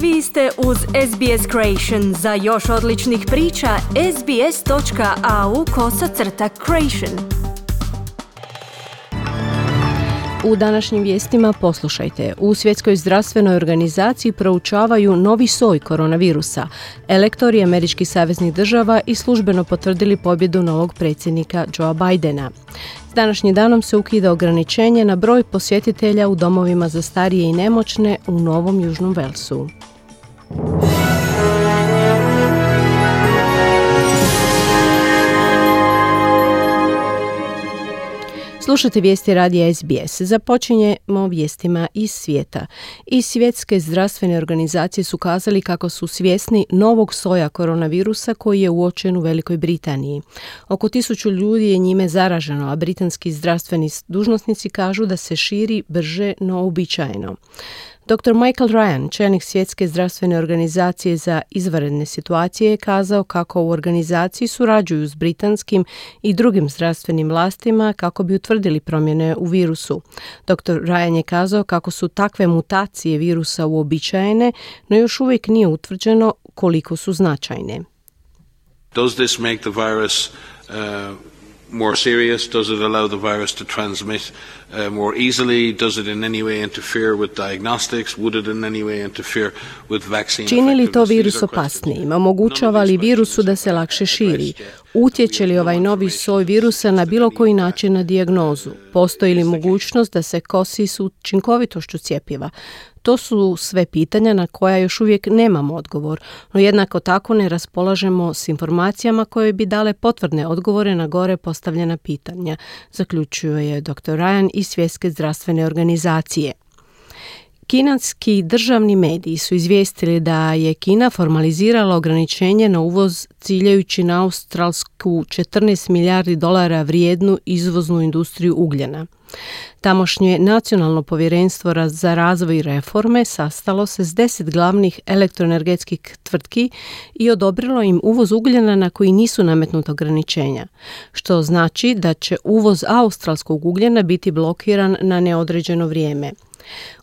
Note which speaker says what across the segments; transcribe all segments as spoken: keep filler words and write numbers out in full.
Speaker 1: Vi ste uz S B S Creation. Za još odličnih priča, sbs.au kosacrta creation.
Speaker 2: U današnjim vijestima poslušajte. U Svjetskoj zdravstvenoj organizaciji proučavaju novi soj koronavirusa. Elektori američkih saveznih država i službeno potvrdili pobjedu novog predsjednika Joea Bidena. S današnjim danom se ukida ograničenje na broj posjetitelja u domovima za starije i nemoćne u Novom Južnom Velsu. Slušajte vijesti radija S B S. Započinjemo vijestima iz svijeta. Iz Svjetske zdravstvene organizacije su kazali kako su svjesni novog soja koronavirusa koji je uočen u Velikoj Britaniji. Oko tisuću ljudi je njime zaraženo, a britanski zdravstveni dužnosnici kažu da se širi brže no uobičajeno. doktor Michael Ryan, čelnik Svjetske zdravstvene organizacije za izvanredne situacije, je kazao kako u organizaciji surađuju s britanskim i drugim zdravstvenim vlastima kako bi utvrdili promjene u virusu. doktor Ryan je kazao kako su takve mutacije virusa uobičajene, no još uvijek nije utvrđeno koliko su značajne.
Speaker 3: Does this make the virus uh... more serious? Does it allow the virus to transmit uh, more easily? Does it in any way interfere with diagnostics? Would it in any way interfere with vaccine?
Speaker 2: Čini li to virus opasnijim? Omogućava li virusu da se lakše širi? Utječe li ovaj novi soj virusa na bilo koji način na dijagnozu? Postoji li mogućnost da se kosi s učinkovitošću cjepiva? To su sve pitanja na koja još uvijek nemamo odgovor, no jednako tako ne raspolažemo s informacijama koje bi dale potvrdne odgovore na gore postavljena pitanja, zaključuje doktor Ryan iz Svjetske zdravstvene organizacije. Kinanski državni mediji su izvijestili da je Kina formalizirala ograničenje na uvoz ciljajući na australsku četrnaest milijardi dolara vrijednu izvoznu industriju ugljena. Tamošnje nacionalno povjerenstvo za razvoj i reforme sastalo se s deset glavnih elektroenergetskih tvrtki i odobrilo im uvoz ugljena na koji nisu nametnuta ograničenja, što znači da će uvoz australskog ugljena biti blokiran na neodređeno vrijeme.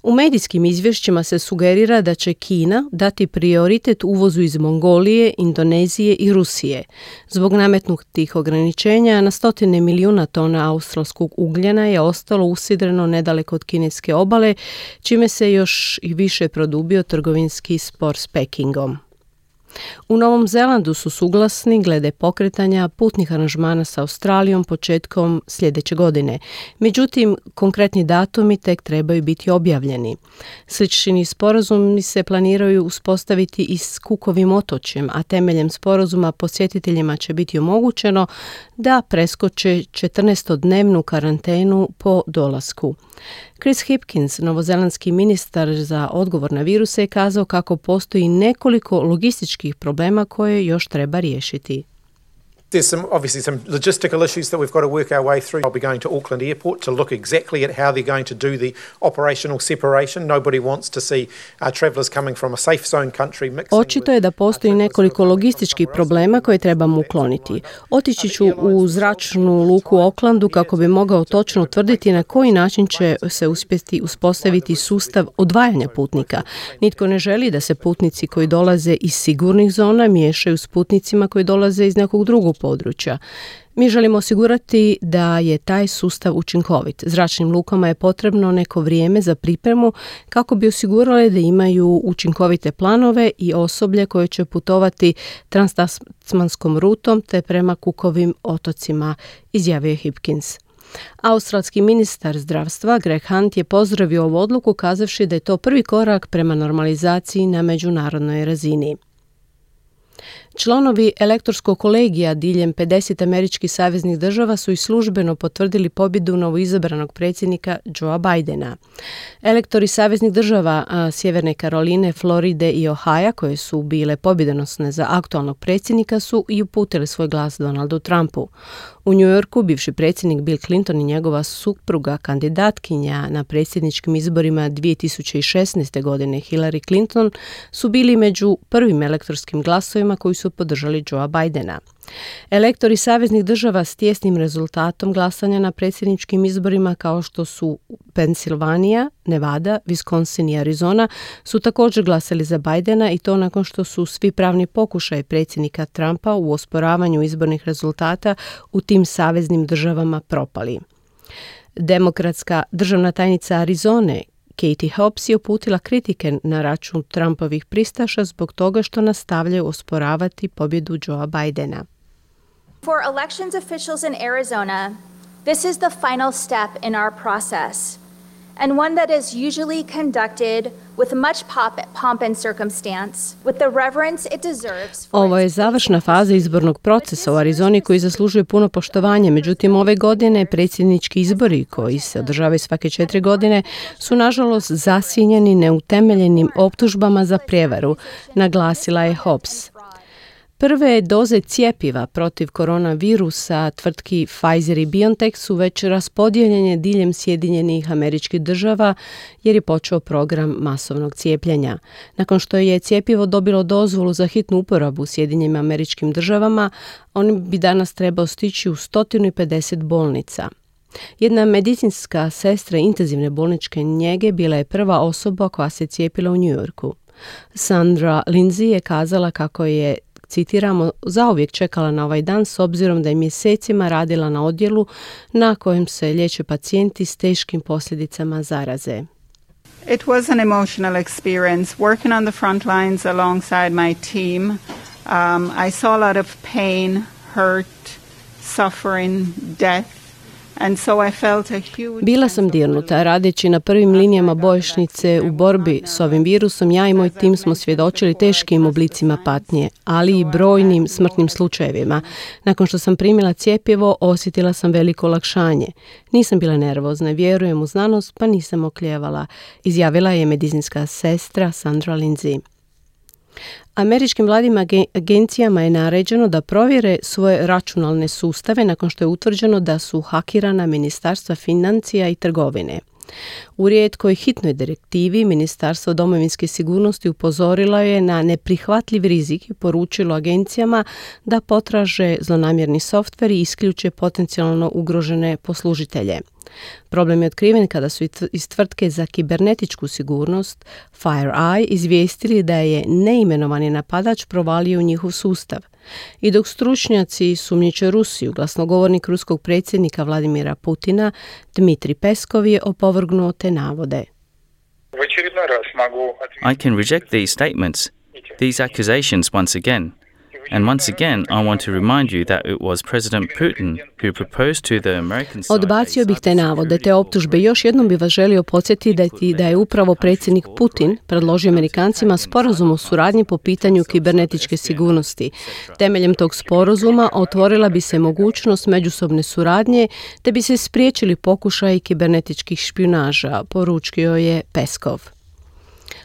Speaker 2: U medijskim izvješćima se sugerira da će Kina dati prioritet uvozu iz Mongolije, Indonezije i Rusije. Zbog nametnutih ograničenja na stotine milijuna tona australskog ugljena je ostalo usidreno nedaleko od kineske obale, čime se još i više produbio trgovinski spor s Pekingom. U Novom Zelandu su suglasni glede pokretanja putnih aranžmana sa Australijom početkom sljedeće godine. Međutim, konkretni datumi tek trebaju biti objavljeni. Slični sporazumi se planiraju uspostaviti i s Cookovim otočjem, a temeljem sporazuma posjetiteljima će biti omogućeno da preskoče četrnaestodnevnu karantenu po dolasku. Chris Hipkins, novozelandski ministar za odgovor na viruse, je kazao kako postoji nekoliko logističkih problema koje još treba riješiti.
Speaker 4: There's some obviously some logistical issues that we've got to work our way through. I'll be going to Auckland Airport to look exactly at how they're going to do the operational separation. Nobody wants to see uh, travellers coming from a safe zone country mixing.
Speaker 2: Očito je da postoji nekoliko logističkih problema koje trebamo ukloniti. Otići ću u zračnu luku u Aucklandu kako bi mogao točno utvrditi na koji način će se uspjeti uspostaviti sustav odvajanja putnika. Nitko ne želi da se putnici koji dolaze iz sigurnih zona miješaju s putnicima koji dolaze iz nekog drugog područja. Mi želimo osigurati da je taj sustav učinkovit. Zračnim lukama je potrebno neko vrijeme za pripremu kako bi osigurali da imaju učinkovite planove i osoblje koje će putovati transtasmanskom rutom te prema Cookovim otocima, izjavio je Hipkins. Australski ministar zdravstva Greg Hunt je pozdravio ovu odluku kazavši da je to prvi korak prema normalizaciji na međunarodnoj razini. Članovi elektorskog kolegija diljem pedeset američkih saveznih država su i službeno potvrdili pobjedu novoizabranog predsjednika Joea Bidena. Elektori saveznih država a, Sjeverne Karoline, Floride i Ohaja, koje su bile pobjedonosne za aktualnog predsjednika, su i uputili svoj glas Donaldu Trumpu. U New Yorku bivši predsjednik Bill Clinton i njegova supruga, kandidatkinja na predsjedničkim izborima dvije tisuće šesnaeste. godine Hillary Clinton, su bili među prvim elektorskim glasovima koji su podržali Joea Bidena. Elektori saveznih država s tijesnim rezultatom glasanja na predsjedničkim izborima kao što su Pensilvanija, Nevada, Wisconsin i Arizona su također glasali za Bidena i to nakon što su svi pravni pokušaj predsjednika Trumpa u osporavanju izbornih rezultata u tim saveznim državama propali. Demokratska državna tajnica Arizone Katie Hobbs je uputila kritike na račun Trumpovih pristaša zbog toga što nastavljaju osporavati pobjedu Joea Bidena.
Speaker 5: For elections officials in Arizona, this is the final step in our process, and one that is usually conducted with much pop, pomp and circumstance, with the reverence it deserves.
Speaker 2: Ovo je završna faza izbornog procesa u Arizoni koji zaslužuje puno poštovanje. Međutim, ove godine predsjednički izbori koji se održavaju svake četiri godine su nažalost zasjenjeni neutemeljenim optužbama za prijevaru, naglasila je Hobbs. Prve doze cjepiva protiv koronavirusa tvrtki Pfizer i BioNTech su već raspodijeljene diljem Sjedinjenih Američkih Država jer je počeo program masovnog cijepljenja. Nakon što je cjepivo dobilo dozvolu za hitnu uporabu u Sjedinjenim Američkim Državama, on bi danas trebao stići u sto pedeset bolnica. Jedna medicinska sestra intenzivne bolničke njege bila je prva osoba koja se cijepila u New Yorku. Sandra Lindsay je kazala kako je, citiramo, zauvijek čekala na ovaj dan s obzirom da je mjesecima radila na odjelu na kojem se liječe pacijenti s teškim posljedicama zaraze.
Speaker 6: It was an emotional experience working on the front lines alongside my team. Um, I saw a lot of pain, hurt, suffering, death. And so I felt a huge...
Speaker 2: Bila sam dirnuta. Radeći na prvim linijama bojišnice u borbi s ovim virusom, ja i moj tim smo svjedočili teškim oblicima patnje, ali i brojnim smrtnim slučajevima. Nakon što sam primila cjepivo, osjetila sam veliko olakšanje. Nisam bila nervozna, vjerujem u znanost, pa nisam okljevala, izjavila je medicinska sestra Sandra Lindsay. Američkim vladnim agencijama je naređeno da provjere svoje računalne sustave nakon što je utvrđeno da su hakirana ministarstva financija i trgovine. U rijetkoj hitnoj direktivi Ministarstvo domovinske sigurnosti upozorilo je na neprihvatljiv rizik i poručilo agencijama da potraže zlonamjerni softver i isključe potencijalno ugrožene poslužitelje. Problem je otkriven kada su iz tvrtke za kibernetičku sigurnost FireEye izvijestili da je neimenovani napadač provalio u njihov sustav. I dok stručnjaci sumnjiče Rusiju, glasnogovornik ruskog predsjednika Vladimira Putina Dmitrij Peskov je opovrgnuo te navode.
Speaker 7: I can reject these statements, these accusations once again. And once again, I want to remind you that it was President Putin who proposed to the American side.
Speaker 2: Odbacio bih te navode, te optužbe. Još jednom bih vas želio podsjetiti da je upravo predsjednik Putin predložio Amerikancima sporazum o suradnji po pitanju kibernetičke sigurnosti. Temeljem tog sporazuma otvorila bi se mogućnost međusobne suradnje, te bi se spriječili pokušaji kibernetičkih špijunaža, poručio je Peskov.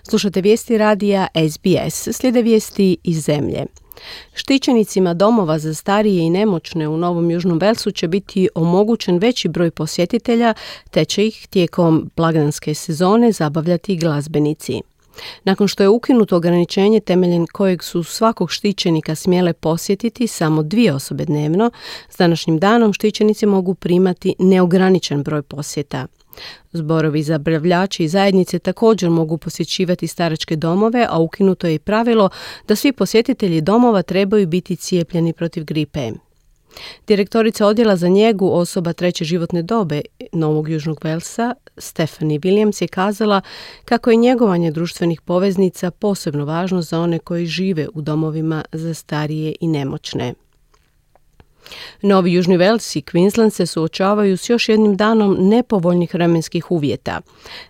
Speaker 2: Slušate vijesti radija S B S, slijede vijesti iz zemlje. Štićenicima domova za starije i nemoćne u Novom Južnom Velsu će biti omogućen veći broj posjetitelja, te će ih tijekom blagdanske sezone zabavljati glazbenici. Nakon što je ukinuto ograničenje temeljem kojeg su svakog štićenika smjele posjetiti samo dvije osobe dnevno, s današnjim danom štićenici mogu primati neograničen broj posjeta. Zborovi zabavljači i zajednice također mogu posjećivati staračke domove, a ukinuto je i pravilo da svi posjetitelji domova trebaju biti cijepljeni protiv gripe. Direktorica odjela za njegu osoba treće životne dobe Novog Južnog Velsa, Stephanie Williams, je kazala kako je njegovanje društvenih poveznica posebno važno za one koji žive u domovima za starije i nemoćne. Novi Južni Vels i Queensland se suočavaju s još jednim danom nepovoljnih vremenskih uvjeta.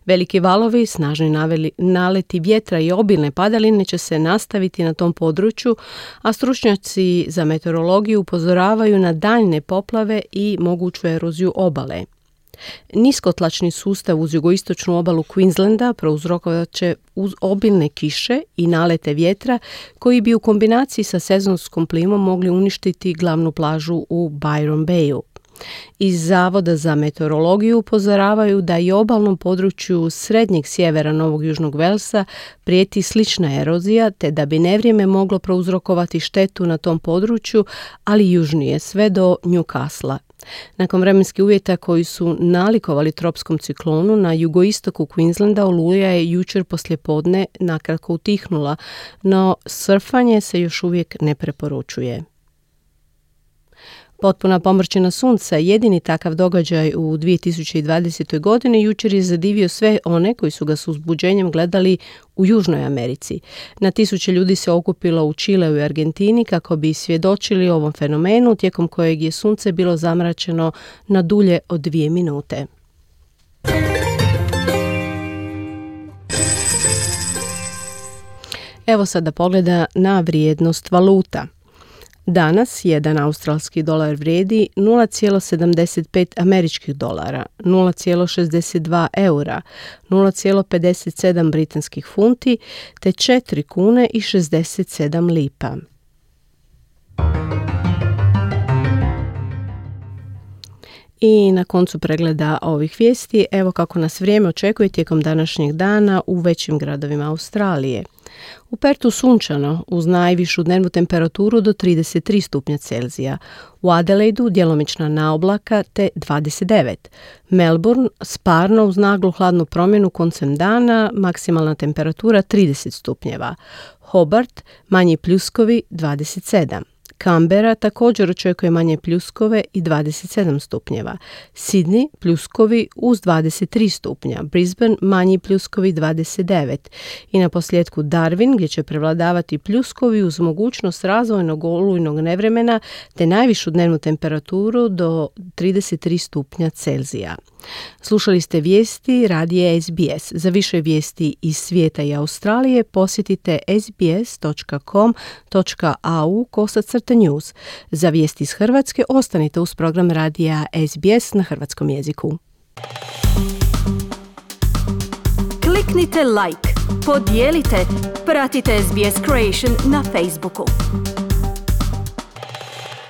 Speaker 2: Veliki valovi, snažni naveli, naleti vjetra i obilne padaline će se nastaviti na tom području, a stručnjaci za meteorologiju upozoravaju na daljne poplave i moguću eroziju obale. Niskotlačni sustav uz jugoistočnu obalu Queenslanda prouzrokovat će uz obilne kiše i nalete vjetra koji bi u kombinaciji sa sezonskom plimom mogli uništiti glavnu plažu u Byron Bayu. Iz Zavoda za meteorologiju upozoravaju da i obalnom području srednjeg sjevera Novog Južnog Velsa prijeti slična erozija, te da bi nevrijeme moglo prouzrokovati štetu na tom području, ali južnije sve do Newcastle. Nakon vremenskih uvjeta koji su nalikovali tropskom ciklonu, na jugoistoku Queenslanda oluja je jučer poslijepodne nakratko utihnula, no surfanje se još uvijek ne preporučuje. Potpuna pomrčina sunca, jedini takav događaj u dvije tisuće dvadesetoj. godini, jučer je zadivio sve one koji su ga s uzbuđenjem gledali u Južnoj Americi. Na tisuće ljudi se okupilo u Čileu i Argentini kako bi svjedočili ovom fenomenu, tijekom kojeg je sunce bilo zamračeno na dulje od dvije minute. Evo sada pogleda na vrijednost valuta. Danas jedan australski dolar vrijedi nula zarez sedamdeset pet američkih dolara, nula zarez šezdeset dva eura, nula zarez pedeset sedam britanskih funti te četiri kune i šezdeset sedam lipa. I na koncu pregleda ovih vijesti, evo kako nas vrijeme očekuje tijekom današnjeg dana u većim gradovima Australije. U Pertu sunčano, uz najvišu dnevnu temperaturu do trideset tri stupnja Celzija. U Adelaidu djelomična naoblaka te dvadeset devet. Melbourne sparno uz naglu hladnu promjenu koncem dana, maksimalna temperatura trideset stupnjeva. Hobart manji pljuskovi dvadeset sedam. Canberra također očekuje manje pljuskove i dvadeset sedam stupnjeva. Sydney pljuskovi uz dvadeset tri stupnja. Brisbane manji pljuskovi dvadeset devet. I na posljedku Darwin gdje će prevladavati pljuskovi uz mogućnost razvojnog olujnog nevremena te najvišu dnevnu temperaturu do trideset tri stupnja Celzija. Slušali ste vijesti radija S B S. Za više vijesti iz svijeta i Australije posjetite sbs.com.au kosacrta news. Za vijesti iz Hrvatske ostanite uz program radija S B S na hrvatskom jeziku.
Speaker 1: Kliknite like, podijelite, pratite S B S Creation na Facebooku.